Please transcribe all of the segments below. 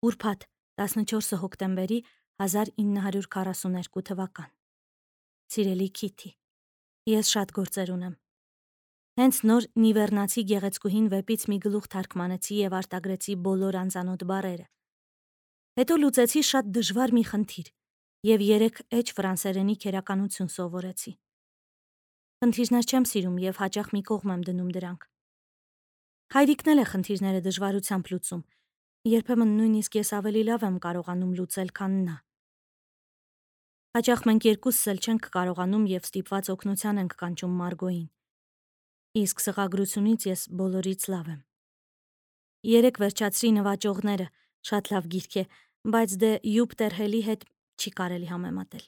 Ուրբաթ 14 հոկտեմբերի 1942 թվական։ Սիրելի Քիթի, ես շատ գործեր ունեմ։ Հենց նոր նիվեռնացի գեղեցկուհին վեպից մի գլուխ թարգմանեցի եւ արտագրեցի բոլոր անծանոթ բառերը։ Հետո լուծեցի շատ դժվար մի խնդիր եւ 3 էջ ֆրանսերենի քերականություն սովորեցի։ Խնդիրներ չեմ սիրում եւ հաճախ մի կողմ եմ դնում դրանք։ Հայրիկն էլ է խնդիրները դժվարությամբ լուծում։ Երբեմն նույնիսկ ես ավելի լավ եմ կարողանում լուծել, քան նա։ Հաճախ մենք երկուսս էլ չենք կարողանում եւ ստիպված օգնության ենք կանչում Մարգոյին։ Իսկ սղագրությունից ես բոլորից լավ եմ։ 3 վերջացրի նվաճողները, շատ լավ գիրք է, բայց դե Յուպտեր Հելի հետ չի կարելի համեմատել։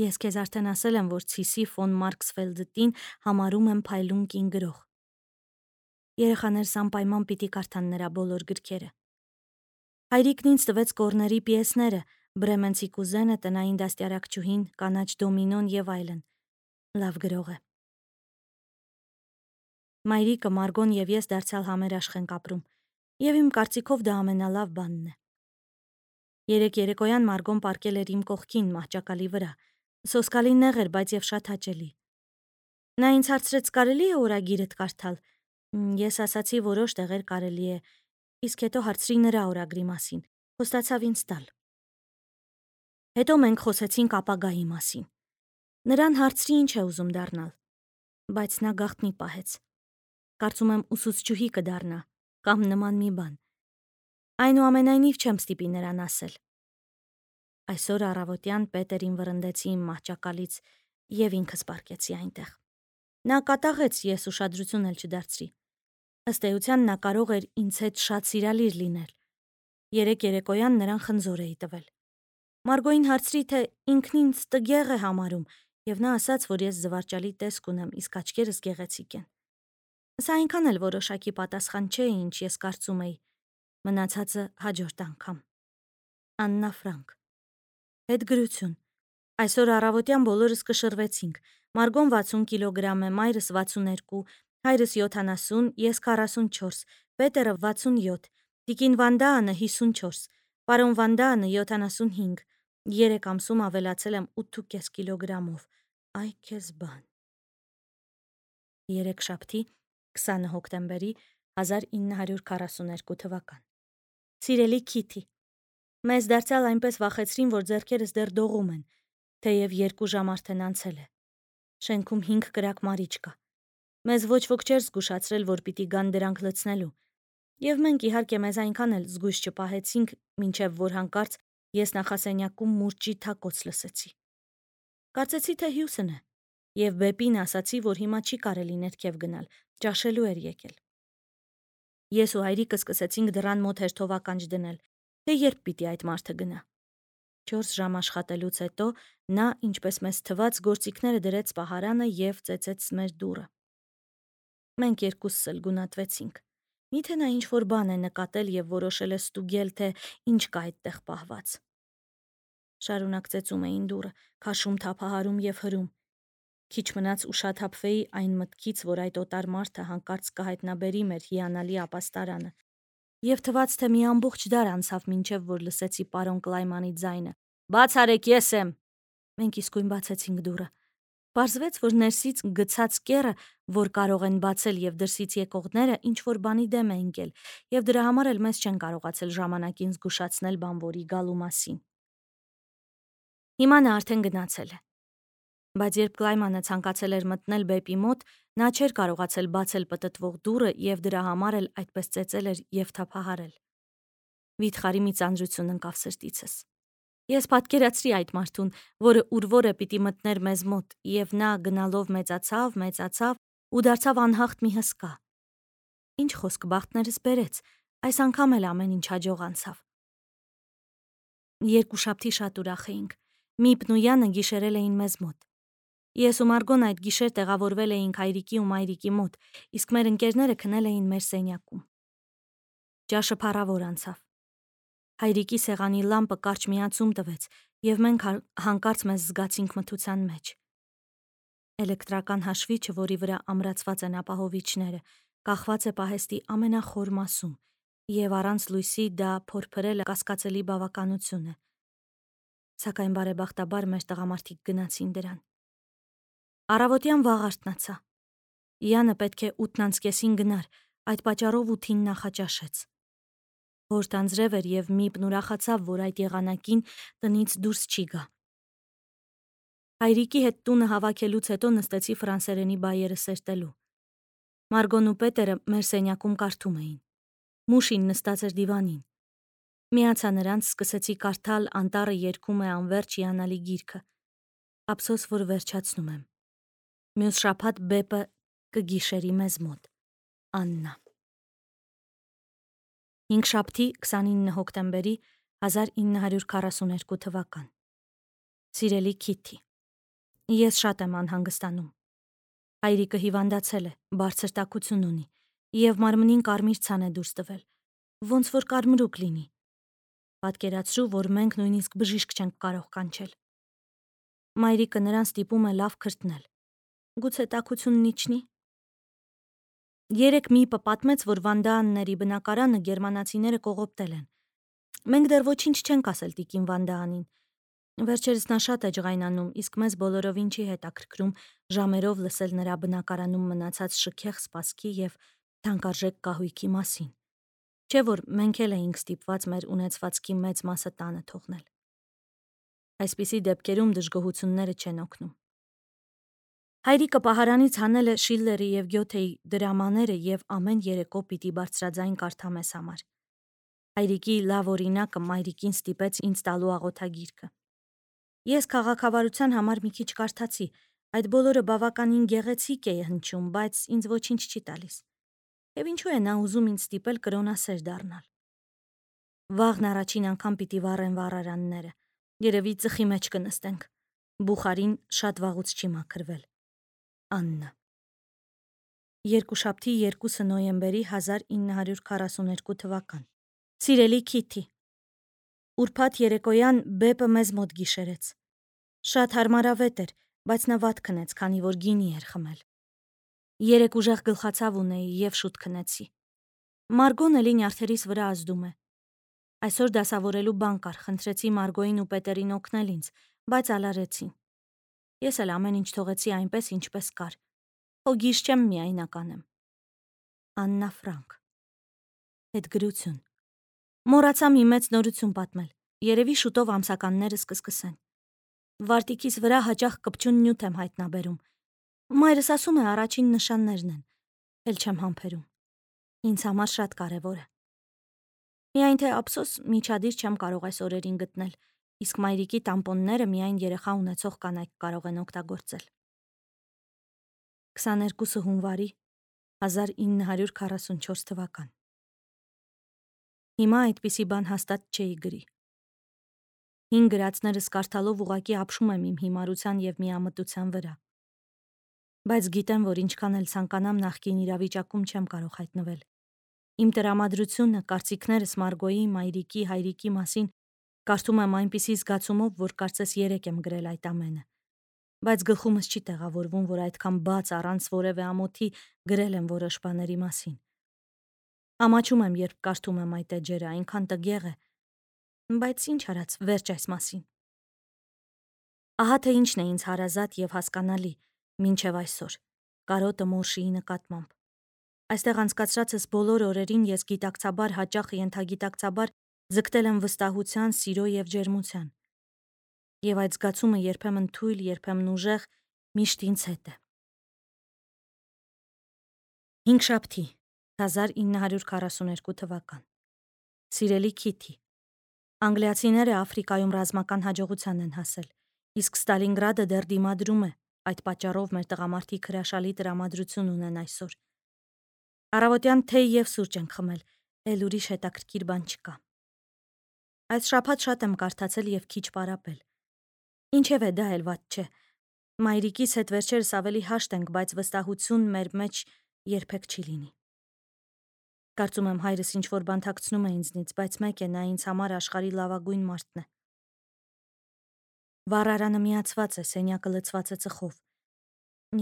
Ես քեզ արդեն ասել եմ, որ Ցիսի ֆոն Մարքսֆելդտին համարում եմ փայլուն կին գրող։ Երեխաներս անպայման պիտի կարդան նրա բոլոր գրքերը։ Հայրիկն ինձ տվեց կորների պիեսները, Բրեմենցի կուզենը, տնային դաստիարակչուհին, կանաչ դոմինոն եւ այլն։ Լավ գրող է։ Մայրիկը, Մարգոն եւ ես դարձյալ համերաշխ ենք ապրում, եւ իմ կարծիքով դա ամենալավ բանն է։ Երեկ երեկոյան Մարգոն պառկել էր իմ կողքին մահճակալի վրա։ Սոսկալի նեղ էր, բայց եւ շատ հաճելի։ Նա ինձ հարցրեց՝ կարելի է օրագիրդ կարդալ։ Ես ասացի որոշ տեղեր կարելի է, իսկ հետո հարցրի նրա օրագրի մասին։ Խոստացավ ինձ տալ։ Հետո մենք խոսեցինք ապագայի մասին։ Նրան հարցրի ինչ է ուզում դառնալ, բայց նա գաղտնի պահեց։ Կարծում եմ ուսուցչուհի կդառնա, կամ նման մի բան։ Այնուամենայնիվ չեմ ստիպի նրան ասել։ Այսօր առավոտյան Պետերին վռնդեցի իմ մահճակալից եւ ինքս պառկեցի այնտեղ։ Նա կատաղեց, ես ուշադրություն էլ չդարձրի։ Ըստ էության նա կարող էր ինձ հետ շատ սիրալիր լինել։ Երեկ երեկոյան նրան խնձոր էի տվել։ Մարգոյին հարցրի, թե ինքն ինձ տգեղ է համարում, եւ նա ասաց, որ ես զվարճալի տեսք ունեմ, իսկ աչքերս գեղեցիկ են։ Սա այնքան էլ որոշակի պատասխան չէ, ինչ ես կարծում էի։ Մնացածը հաջորդ անգամ։ Աննա Ֆրանկ։ Հետգրություն։ Այսօր առավոտյան բոլորս կշռվեցինք։ Մարգոն 60 կիլոգրամ է, մայրս 62, հայրս 70, ես 44, Պետերը 67, Տիկին Վանդաանը 54, պարոն Վանդաանը 75, 3 ամսում ավելացել եմ 8.5 կիլոգրամով։ Այ քեզ բան։ Երեքշաբթի 20 հոկտեմբերի 1942 թվական։ Սիրելի Քիթի, մեզ դարձյալ այնպես վախեցրին, որ ձեռքերս դեռ դողում են, թեև 2 ժամ արդեն անցել է։ Շենքում 5 կրակ մարիչ կա։ Մեզ ոչ ոք չէր զգուշացրել, որ պիտի գան դրանք լցնելու։ Եվ մենք իհարկե մեզ այնքան էլ զգույշ չպահեցինք, մինչև որ հանկարծ ես նախասենյակում մուրճի թակոց լսեցի։ Կարծեցի, թե Հյուսն է, եւ Բեպին ասացի, որ հիմա չի կարելի ներքև գնալ, ճաշելու էր եկել։ Ես ու հայրիկը սկսեցինք դռան մոտ հերթով ականջ դնել, թե երբ պիտի այդ մարդը գնա։ 4 ժամ աշխատելուց հետո նա, ինչպես մեզ թվաց, գործիքները դրեց պահարանը եւ ծեծեց մեր դուռը։ Մենք երկուսս էլ գունատվեցինք։ Միթե նա ինչ-որ բան է նկատել եւ որոշել է ստուգել, թե ինչ կա այդտեղ պահված։ Շարունակ ծեծում էին դուռը, քաշում, թափահարում եւ հրում։ Քիչ մնաց ուշաթափվեի այն մտքից, որ այդ օտար մարդը հանկարծ կհայտնաբերի մեր հիանալի ապաստարանը։ Եվ թվաց, թե մի ամբողջ դար անցավ, մինչև որ լսեցի պարոն Կլայմանի ձայնը. «Բաց արեք, ես եմ»։ Մենք իսկույն բացեցինք դուռը։ Պարզվեց, որ ներսից գցած կեռը, որ կարող են բացել եւ դրսից եկողները, ինչ որ բանի դեմ է ընկել, եւ դրա համար էլ մեզ չեն կարողացել ժամանակին զգուշացնել բանվորի գալու մասին։ Հիմա նա արդեն գնացել է։ Բայց երբ Կլայմանը ցանկացել էր մտնել Բեպի մոտ, նա չէր կարողացել բացել պտտվող դուռը եւ դրա համար էլ այդպես ծեծել էր եւ թափահարել։ Վիթխարի մի ծանրություն ընկավ սրտիցս։ Ես պատկերացրի այդ մարդուն, որը ուրվորը պիտի մտներ մեզ մոտ, եւ նա գնալով մեծացավ ու դարձավ անհաղթ մի հսկա։ Ինչ խոսք, բախտներս բերեց, այս անգամ էլ ամեն ինչ հաջող անցավ։ Երկուշաբթի շատ ուրախ էինք։ Միպն ու Յանը գիշերել էին մեզ մոտ։ Ես ու Մարգոն այդ գիշեր տեղավորվել էինք հայրիկի ու մայրիկի մոտ, իսկ մեր ընկերները քնել էին մեր սենյակում։ Ճաշը փառավոր անցավ։ Հայրիկի սեղանի լամպը կարճ միացում տվեց, եւ մենք հանկարծ մեզ զգացինք մթության մեջ։ Էլեկտրական հաշվիչը, որի վրա ամրացված են ապահովիչները, կախված է պահեստի ամենախոր մասում, Եվ առանց լույսի դա փորփրելը կասկածելի բավականություն է։ Սակայն բարեբախտաբար մեր տղամարդիկ գնացին դրան։ Առավոտյան վաղ արթնացա։ Յանը պետք է 8:30 գնար, այդ պատճառով 8-ին նախաճաշեց։ Հորտ անձրև էր և Միպն ուրախացավ, որ այդ եղանակին տնից դուրս չի գա։ Հայրիկի հետ տունը հավաքելուց հետո նստեցի ֆրանսերենի բայերը սերտելու։ Մարգոն ու Պետերը մեր սենյակում կարդում էին։ Մուշին նստած էր դիվանին։ Միացա նրանց, սկսեցի կարդալ «Անտառը երգում է անվերջ հիանալի գիրքը»։ Ափսոս, որ վերջացնում եմ։ Մյուս շաբաթ Բեպը կգիշերի մեզ մոտ։ Աննա։ Հինգշաբթի 29 հոկտեմբերի 1942 թվական։ Սիրելի Քիթի, ես շատ եմ անհանգստանում։ Հայրիկը հիվանդացել է, բարձր տաքություն ունի, և մարմնին կարմիր ցան է դուրս տվել, ոնց որ կարմրուկ լինի։ Պատկերացրու, որ մենք նույնիսկ բժիշկ չենք կարող կանչել։ Մայրիկը նրան ստիպում է լավ քրտնել։ Գուցե տաքությունն իջնի։ Երեկ Միպը պատմեց, որ Վանդաանների բնակարանը գերմանացիները կողոպտել են։ Մենք դեռ ոչինչ չենք ասել տիկին Վանդաանին։ Վերջերս նա շատ է ջղայնանում, իսկ մեզ բոլորովին չի հետաքրքրում ժամերով լսել նրա բնակարանում մնացած շքեղ սպասքի և թանկարժեք կահույքի մասին։ Չէ՞ որ մենք էլ էինք ստիպված մեր ունեցվածքի մեծ մասը տանը թողնել։ Այսպիսի դեպքերում դժգոհությունները չեն օգնում։ Հայրիկը պահարանից հանել է Շիլլերի և Գյոթեի դրամաները և ամեն երեկո պիտի բարձրաձայն կարդա մեզ համար։ Հայրիկի լավ օրինակը մայրիկին ստիպեց ինձ տալու աղոթագիրքը։ Ես քաղաքավարության համար մի քիչ կարդացի, այդ բոլորը բավականին գեղեցիկ է հնչում, բայց ինձ ոչինչ չի տալիս։ Եվ ինչու է նա ուզում ինձ ստիպել կրոնասեր դառնալ։ Վաղն առաջին անգամ պիտի վառեն վառարանները, երևի ծխի մեջ կնստենք։ Բուխարին շատ վաղուց չի մաքրվել։ Աննա։ Երկուշաբթի 2 նոյեմբերի 1942 թվական։ Սիրելի Քիթի, ուրբաթ երեկոյան Բեպը մեզ մոտ գիշերեց։ Շատ հարմարավետ էր, բայց նա վատ քնեց, քանի որ գինի էր խմել։ Երեկ ուժեղ գլխացավ ունեի և շուտ քնեցի։ Մարգոն էլի նյարդերիս վրա ազդում է։ Այսօր դասավորելու բան կար, խնդրեցի Մարգոյին ու Պետերին օգնել ինձ, բայց ալարեցին։ Ես էլ ամեն ինչ թողեցի այնպես, ինչպես կար։ Հոգիս չեմ միայնական եմ։ Աննա Ֆրանկ։ Հետգրություն։ Մոռացա մի մեծ նորություն պատմել։ Երևի շուտով ամսականներս կսկսեն։ Վարտիքիս վրա հաճախ կպչուն նյութ եմ հայտնաբերում։ Մայրս ասում է առաջին նշաններն են։ Էլ չեմ համբերում։ Ինձ համար շատ կարևոր է։ Միայն թե ափսոս միջադիր չեմ կարող այս օրերին գտնել, իսկ մայրիկի տամպոնները միայն երեխա ունեցող կանայք կարող են օգտագործել։ 22 հունվարի 1944 թվական։ Հիմա այդպիսի բան հաստատ չէի գրի։ Հին գրածներս կարդալով ուղղակի ապշում եմ իմ հիմարության և միամտության վրա։ Բայց գիտեմ, որ ինչքան էլ ցանկանամ նախկին իրավիճակում չեմ կարող հայտնվել։ Իմ տրամադրությունը, կարծիքներս Մարգոյի, մայրիկի, հայրիկի մասին կարդում եմ այնպիսի զգացումով, որ կարծես երեկ եմ գրել այդ ամենը։ Բայց գլխումս չի տեղավորվում, որ այդքան բաց առանց որևէ ամոթի գրել եմ որոշ բաների մասին։ Ամաչում եմ, երբ կարդում եմ այդ էջերը, այնքան տգեղ է։ Բայց ինչ արած, վերջ այս մասին։ Ահա թե ինչն է ինձ հարազատ և հասկանալի մինչև այսօր, կարոտը Մորշիի նկատմամբ։ Այստեղ անցկացրածս բոլոր օրերին ես գիտակցաբար, հաճախ ենթագիտակցաբար ձգտել եմ վստահության, սիրո և ջերմության։ Եվ այդ զգացումը երբեմն թույլ, երբեմն ուժեղ միշտ ինձ հետ է։ Հինգշաբթի 1942 թվական։ Սիրելի Քիթի, անգլիացիները Աֆրիկայում ռազմական հաջողության են հասել, իսկ Ստալինգրադը դեռ դիմադրում է, այդ պատճառով մեր տղամարդիկ հրաշալի տրամադրություն ունեն այսօր։ Առավոտյան թեյ և սուրճ ենք խմել, էլ ուրիշ հետաքրքիր բան չկա։ Այս շաբաթ շատ եմ կարդացել և քիչ պարապել։ Ինչևէ, դա էլ վատ չէ։ Մայրիկիս հետ վերջերս ավելի հաշտ ենք, բայց վստահություն մեր մեջ երբեք չի լինի։ Կարծում եմ հայրս ինչ-որ բան թաքցնում է ինձնից, բայց մեկ է, նա ինձ համար աշխարհի լավագույն մարդն է։ Վառարանը միացված է, սենյակը լցված է ծխով։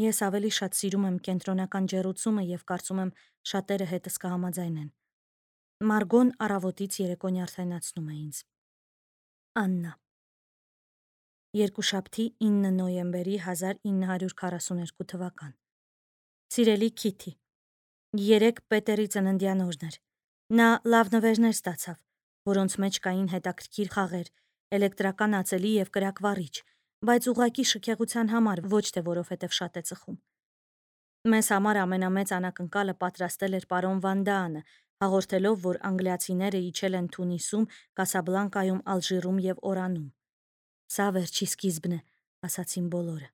Ես ավելի շատ սիրում եմ կենտրոնական ջեռուցումը և կարծում եմ շատերը հետս կհամաձայնեն։ Մարգոն առավոտից երեկոն յարդայնացնում է ինձ։ Աննա։ Երկուշաբթի 9 նոյեմբերի 1942 թվական։ Սիրելի Քիթի, երեկ Պետերի ծննդյան օրն էր։ Նա լավ նվերներ ստացավ, որոնց մեջ կային հետաքրքիր խաղեր, էլեկտրական ածելի և կրակվառիչ, բայց ուղղակի շքեղության համար, ոչ թե որովհետև շատ է ծխում։ Մեզ համար ամենամեծ անակնկալը պատրաստել էր պարոն Վանդաանը, հաղորդելով, որ անգլիացիները իջել են Թունիսում, Կասաբլանկայում, Ալժիրում և Օրանում։ Սա վերջի սկիզբն է, ասացին բոլորը։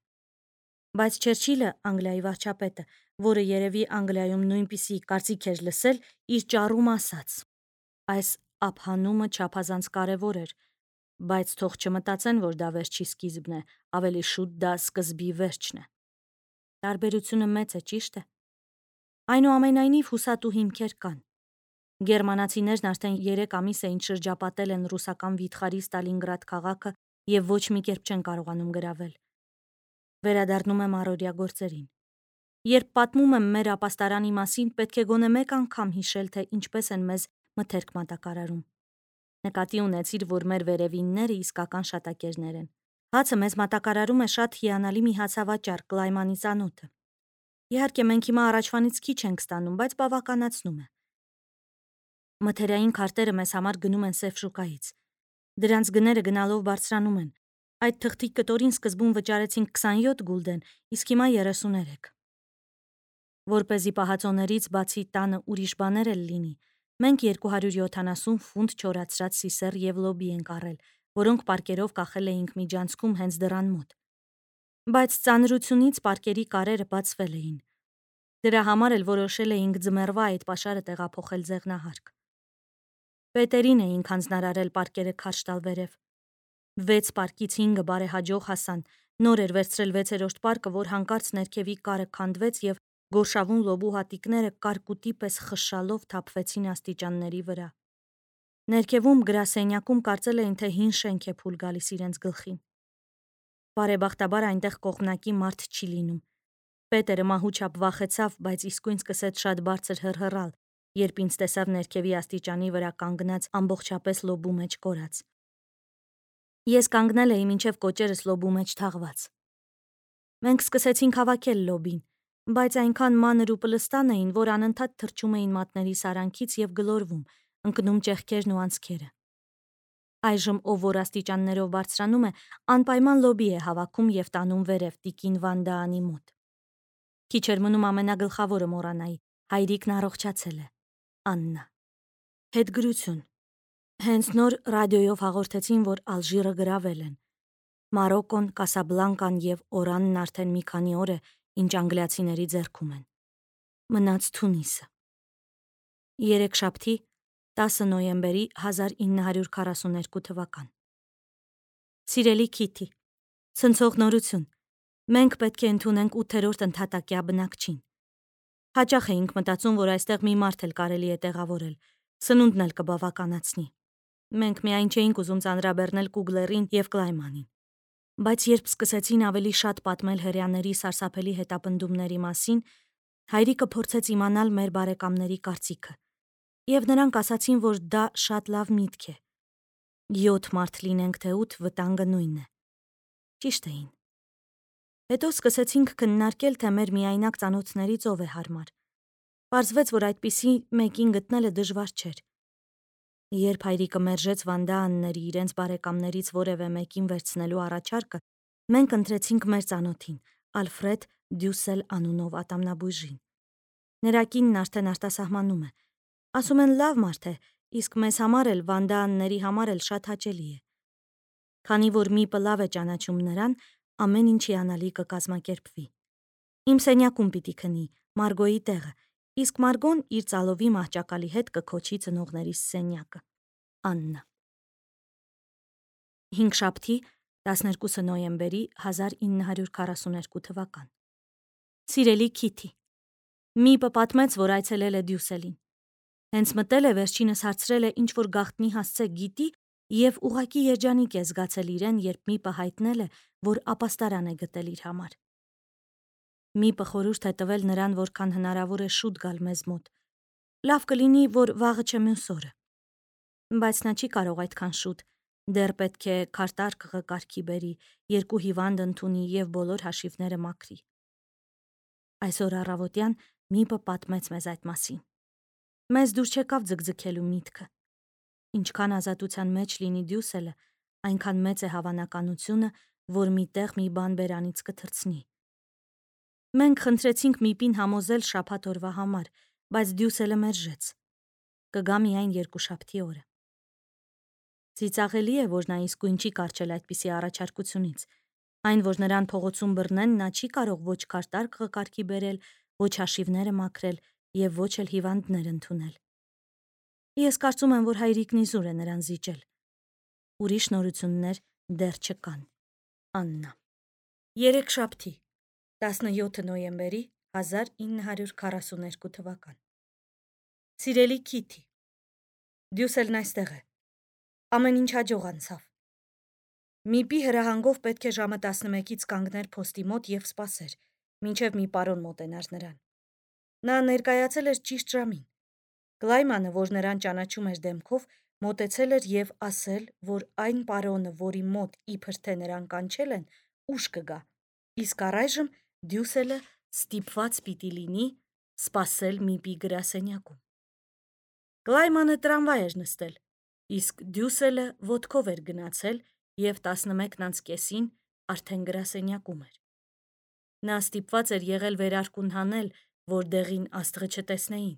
Բայց Չերչիլը, Անգլիայի վարչապետը, որը երևի Անգլիայում նույնպիսի կարծիք էր լսել, իր ճառում ասաց. այս ափհանումը չափազանց կարևոր էր, բայց թող չմտածեն, որ դա վերջի սկիզբն է, ավելի շուտ դա սկզբի վերջն է։ Տարբերությունը մեծ է, ճիշտ է։ Այնուամենայնիվ հուսատու հիմքեր կան։ Գերմանացիներն արդեն 3 ամիս է ինչ շրջապատել են ռուսական վիթխարի Ստալինգրադ քաղաքը և ոչ մի կերպ չեն կարողանում գրավել։ Վերադառնում եմ առօրյա գործերին։ Երբ պատմում եմ մեր ապաստարանի մասին, պետք է գոնե մեկ անգամ հիշել, թե ինչպես են մեզ մթերք մատակարարում։ Նկատի ունեցիր, որ մեր վերևինները իսկական շատակերներ են։ Հացը մեզ մատակարարում է շատ հիանալի մի հացավաճառ Կլայմանի ծանոթը։ Իհարկե մենք հիմա առաջվանից քիչ ենք ստանում, բայց բավականացնում է։ Մթերային քարտերը մեզ համար գնում են Սև շուկայից։ Դրանց գները գնալով բարձրանում են։ Այդ թղթի կտորին սկզբում վճարեցինք 27 գուլդեն, իսկ հիմա 33։ Որպեսզի պահածոներից բացի տանը ուրիշ բաներ էլ լինի, մենք 270 ֆունտ չորացրած սիսեռ և լոբի ենք առել, որոնք պարկերով կախել էինք միջանցքում հենց դռան մոտ։ Բայց ծանրությունից պարկերի կարերը բացվել էին։ Դրա համար էլ որոշել էինք ձմեռվա այդ պաշարը տեղափոխել ձեղնահարկ։ Պետերին էինք հանձնարարել պարկերը քարշ տալ վերև։ 6 պարկից 5-ը բարեհաջող հասան, նոր էր վերցրել 6-րդ պարկը, որ հանկարծ ներքևի կարը քանդվեց և գորշավուն լոբու հատիկները կարկուտի պես խշշալով թափվեցին աստիճանների վրա։ Ներքևում գրասենյակում կարծել էին, թե հին շենք է փուլ գալիս իրենց գլխին։ Բարեբախտաբար այնտեղ կողմնակի մարդ չի լինում։ Պետերը մահուչապ վախեցավ, բայց իսկույն սկսեց շատ բարձր հռհռալ, երբ ինձ տեսավ ներքևի աստիճանի վրա կանգնած ամբողջապես լոբու մեջ կորած։ Ես կանգնել էի մինչև կոճերս լոբու մեջ թաղված։ Մենք սկսեցինք հավաքել լոբին, բայց այնքան մանր ու պլստան էին, որ անընդհատ թռչում էին մատների սարանքից և գլորվում, ընկնում ճեղքերն ու անցքերը։ Այժմ ով որ աստիճաններով բարձրանում է, անպայման լոբի է հավաքում և տանում վերև տիկին Վանդաանի մոտ։ Քիչ էր մնում ամենագլխավորը մոռանայի, հայրիկն առողջացել է։ Աննա։ Հետգրություն։ Հենց նոր ռադիոյով հաղորդեցին, որ Ալժիրը գրավել են։ Մարոկոն, Կասաբլանկան և Օրանն արդեն մի քանի օր է, ինչ անգլիացիների ձեռքում են։ Մնաց Թունիսը։ Երեքշաբթի 10 նոյեմբերի 1942 թվական։ Սիրելի Քիթի, ցնցող նորություն։ Մենք պետք է ընդունենք 8-րդ ընդհատակյա բնակչին։ Հաճախ էինք մտածում, որ այստեղ մի մարդ էլ կարելի է տեղավորել, սնունդն էլ կբավականացնի։ Մենք միայն չէինք ուզում ծանրաբեռնել Կուգլերին և Կլայմանին։ Բայց երբ սկսեցին ավելի շատ պատմել հրեաների սարսափելի հետապնդումների մասին, հայրիկը փորձեց իմանալ մեր բարեկամների կարծիքը, և նրանք ասացին, որ դա շատ լավ միտք է։ 7 մարդ լինենք, թե 8, վտանգը նույնն է։ Ճիշտ էին։ Հետո սկսեցինք քննարկել, թե մեր միայնակ ծանոթներից ով է հարմար։ Պարզվեց, որ այդպիսի մեկին գտնելը դժվար չէր։ Երբ հայրիկը մերժեց Վանդաանների իրենց բարեկամներից որևէ մեկին վերցնելու առաջարկը, մենք ընտրեցինք մեր ծանոթին, Ալֆրեդ Դյուսել անունով ատամնաբույժին։ Նրա կինն արդեն արտասահմանում է։ Ասում են լավ մարդ է, իսկ մեզ համար էլ, Վանդաանների համար էլ շատ հաճելի է։ Քանի որ Միպը լավ է ճանաչում նրան, ամեն ինչ հիանալի կկազմակերպվի։ Իմ սենյակում պիտի քնի, Մարգոյի տեղը, իսկ Մարգոն իր ծալովի մահճակալի հետ կքոչի ծնողներիս սենյակը։ Աննա։ Հինգշաբթի 12 նոյեմբերի 1942 թվական։ Սիրելի Քիթի, Միպը պատմեց, որ այցելել է Դյուսելին։ Հենց մտել է, վերջինս հարցրել է ինչ-որ գաղտնի հասցե գիտի և ուղղակի երջանիկ է զգացել իրեն, երբ Միպը հայտնել է, որ ապաստարան է գտել իր համար։ Միպը խորհուրդ է տվել նրան, որքան հնարավոր է շուտ գալ մեզ մոտ։ Լավ կլինի, որ վաղը չէ մյուս օրը։ Բայց նա չի կարող այդքան շուտ, դեռ պետք է քարտարկղը կարգի բերի, 2 հիվանդ ընդունի և բոլոր հաշիվները մաքրի։ Այսօր առավոտյան Միպը պատմեց մեզ այդ մասին։ Մեզ դուր չեկավ ձգձգելու միտքը։ Ինչքան ազատության մեջ լինի Դյուսելը, այնքան մեծ է հավանականությունը, որ մի տեղ մի բան բերանից կթռցնի։ Մենք խնդրեցինք Միպին համոզել շաբաթ օրվա համար, բայց Դյուսելը մերժեց։ Կգա միայն երկուշաբթի օրը։ Ծիծաղելի է, որ նա իսկույն չի կառչել այդպիսի առաջարկությունից։ Այն, որ նրան փողոցում բռնեն, նա չի կարող ոչ քարտարկղը կարգի բերել, ոչ հաշիվները մաքրել և ոչ էլ հիվանդներ ընդունել։ Ես կարծում եմ, որ հայրիկն իզուր է նրան զիջել։ Ուրիշ նորություններ դեռ չկան։ Աննա։ Երեքշաբթի, 17 նոյեմբերի 1942 թվական։ Սիրելի Քիթի, Դյուսելն այստեղ է։ Ամեն ինչ հաջող անցավ։ Միպի հրահանգով պետք է ժամը 11-ից կանգներ փոստի մոտ և սպասեր, մինչև մի պարոն մոտենար նրան։ Նա ներկայացել էր ճիշտ ժամին։ Կլայմանը, որ նրան ճանաչում էր դեմքով, մոտեցել էր և ասել, որ այն պարոնը, որի մոտ իբր թե նրան կանչել են, ուշ կգա, իսկ առայժմ Դյուսելը ստիպված պիտի լինի սպասել Միպի գրասենյակում։ Կլայմանը տրամվայ էր նստել, իսկ Դյուսելը ոտքով էր գնացել և 11:30-ին արդեն գրասենյակում էր։ Նա ստիպված էր եղել վերարկուն հանել, որ դեղին աստղը չտեսնեին,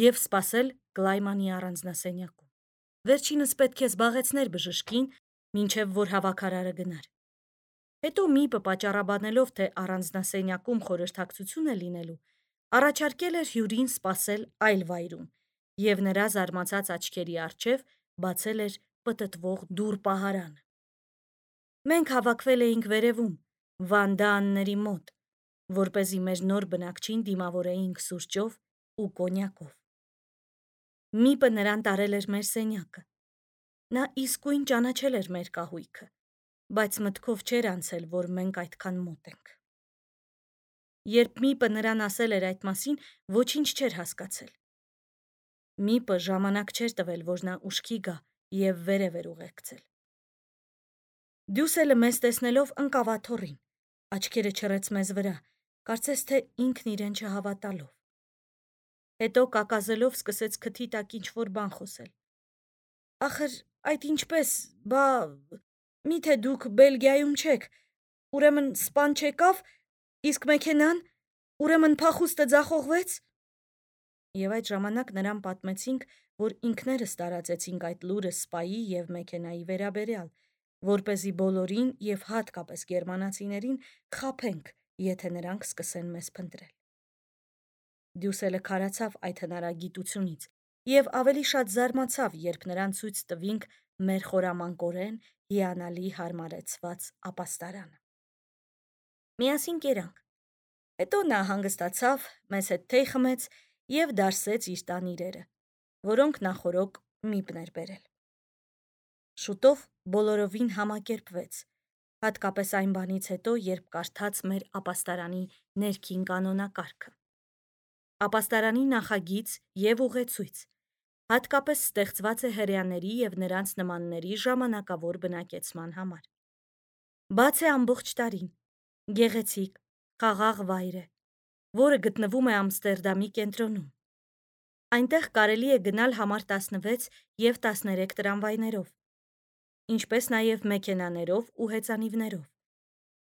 և սպասել Կլայմանի առանձնասենյակում։ Վերջինս պետք է զբաղեցներ բժշկին, մինչև որ հավաքարարը գնար։ Հետո Միպը պատճառաբանելով, թե առանձնասենյակում խորհրդակցություն է լինելու, առաջարկել էր հյուրին սպասել այլ վայրում, և նրա զարմացած աչքերի առջև բացել էր պտտվող դուռ պահարանը։ Մենք հավաքվել էինք վերևում, վանդաանների մոտ, որպեսզի մեր նոր բնակչին դիմավորեինք սուրճով ու կոնյակով։ Միպը նրան տարել էր մեր սենյակը։ Նա իսկույն ճանաչել էր մեր կահույքը, բայց մտքով չէր անցել, որ մենք այդքան մոտ ենք։ Երբ Միպը նրան ասել էր այդ մասին, ոչինչ չէր հասկացել։ Միպը ժամանակ չէր տվել, որ նա ուշքի գա և վերև էր ուղեկցել։ Դյուսելը մեզ տեսնելով ընկավ աթոռին, աչքերը չռեց մեզ վրա, կարծես թե ինքն իրեն չհավատալով։ Հետո կակազելով սկսեց քթի տակ ինչ-որ բան խոսել։ Ախր այդ ինչպես, միթե դուք Բելգիայում չեք, ուրեմն սպան չեկավ, իսկ մեքենան, ուրեմն փախուստը ձախողվեց։ Եվ այդ ժամանակ նրան պատմեցինք, որ ինքներս տարածեցինք այդ լուրը սպայի և մեքենայի վերաբերյալ, որպեսզի բոլորին և հատկապես գերմանացիներին խաբենք, եթե նրանք սկսեն մեզ փնտրել։ Դյուսելը քարացավ այդ հնարագիտությունից և ավելի շատ զարմացավ, երբ նրան ցույց տվինք մեր խորամանկորեն հիանալի հարմարեցված ապաստարանը։ Միասին կերանք։ Հետո նա հանգստացավ, մեզ հետ թեյ խմեց և դարսեց իր տան իրերը, որոնք նախօրոք Միպն էր բերել։ Շուտով բոլորովին համակերպվեց, հատկապես այն բանից հետո, երբ կարդաց մեր ապաստարանի ներքին կանոնակարգը։ Ապաստարանի նախագիծ և ուղեցույց, հատկապես ստեղծված է հրեաների և նրանց նմանների ժամանակավոր բնակեցման համար։ Բաց է ամբողջ տարին, գեղեցիկ, խաղաղ վայր է, որը գտնվում է Ամստերդամի կենտրոնում։ Այնտեղ կարելի է գնալ համար 16 և 13 տրամվայներով, ինչպես նաև մեքենաներով ու հեծանիվներով։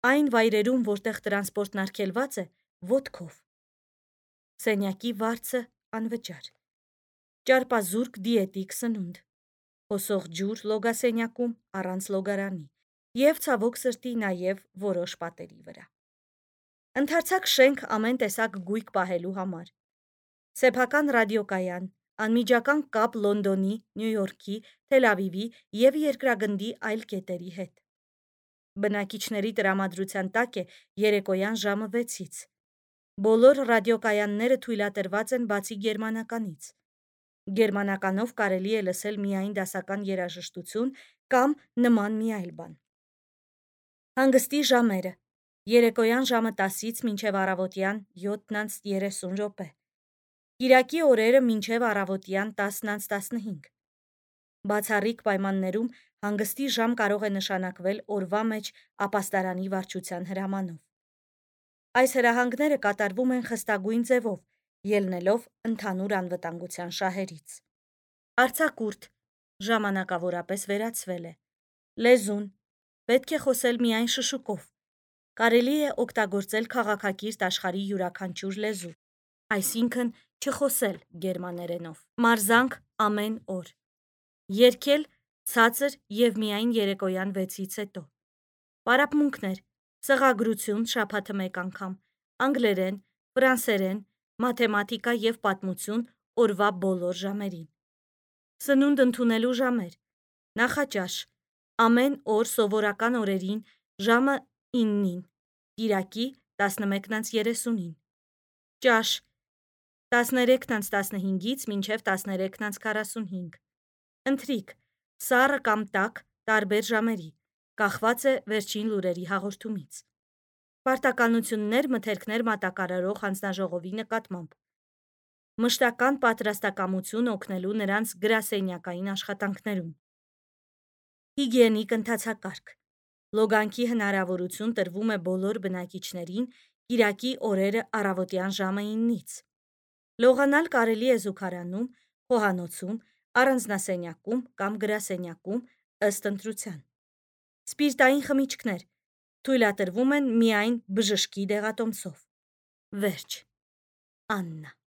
Այն վայրերում, որտեղ տրանսպորտն արգելված է, ոտքով։ Սենյակի վարձը անվճար։ Ճարպազուրկ դիետիկ սնունդ։ Հոսող ջուր լոգասենյակում առանց լոգարանի և ցավոք սրտի նաև որոշ պատերի վրա։ Ընդարձակ շենք ամեն տեսակ գույք պահելու համար։ Սեփական ռադիոկայան, անմիջական կապ Լոնդոնի, Նյու Յորքի, Թել Ավիվի և երկրագնդի այլ կետերի հետ։ Բնակիչների տրամադրության տակ է երեկոյան ժամը 6-ից։ Բոլոր ռադիոկայանները թույլատրված են բացի գերմանականից։ Գերմանականով կարելի է լսել միայն դասական երաժշտություն կամ նման մի այլ բան։ Հանգստի ժամերը՝ երեկոյան ժամը 10-ից մինչև առավոտյան 7:30 րոպե։ Կիրակի օրերը մինչև առավոտյան 10:15։ Բացառիկ պայմաններում հանգստի ժամ կարող է նշանակվել օրվա մեջ ապաստարանի վարչության հրամանով։ Այս հրահանգները կատարվում են խստագույն ձևով, ելնելով ընդհանուր անվտանգության շահերից։ Արձակուրդ ժամանակավորապես վերացվել է։ Լեզուն պետք է խոսել միայն շշուկով։ Կարելի է օգտագործել քաղաքակիրթ աշխարհի յուրաքանչյուր լեզու, այսինքն չխոսել գերմաներենով։ Մարզանք ամեն օր։ Երգել ցածր և միայն երեկոյան 6-ից հետո։ Պարապմունքներ՝ սղագրություն շաբաթը 1 անգամ, անգլերեն, ֆրանսերեն, մաթեմատիկա և պատմություն օրվա բոլոր ժամերին։ Սնունդ ընդունելու ժամեր՝ նախաճաշ ամեն օր սովորական օրերին ժամը 9-ին, կիրակի 11:30-ին, ճաշ 13:15-ից մինչև 13:45, ընթրիք սառը կամ տաք տարբեր ժամերի, կախված է վերջին լուրերի հաղորդումից։ Պարտականություններ մթերքներ մատակարարող հանձնաժողովի նկատմամբ։ Մշտական պատրաստակամություն օգնելու նրանց գրասենյակային աշխատանքներում։ Հիգիենիկ ընթացակարգ։ Լոգանքի հնարավորություն տրվում է բոլոր բնակիչներին կիրակի օրերը առավոտյան ժամը 9-ից։ Լողանալ կարելի է զուգարանում, խոհանոցում, առանձնասենյակում կամ գրասենյակում ըստ ընտրության։ Սպիրտային խմիչքներ թույլատրվում են միայն բժշկի դեղատոմսով։ Վերջ։ Աննա։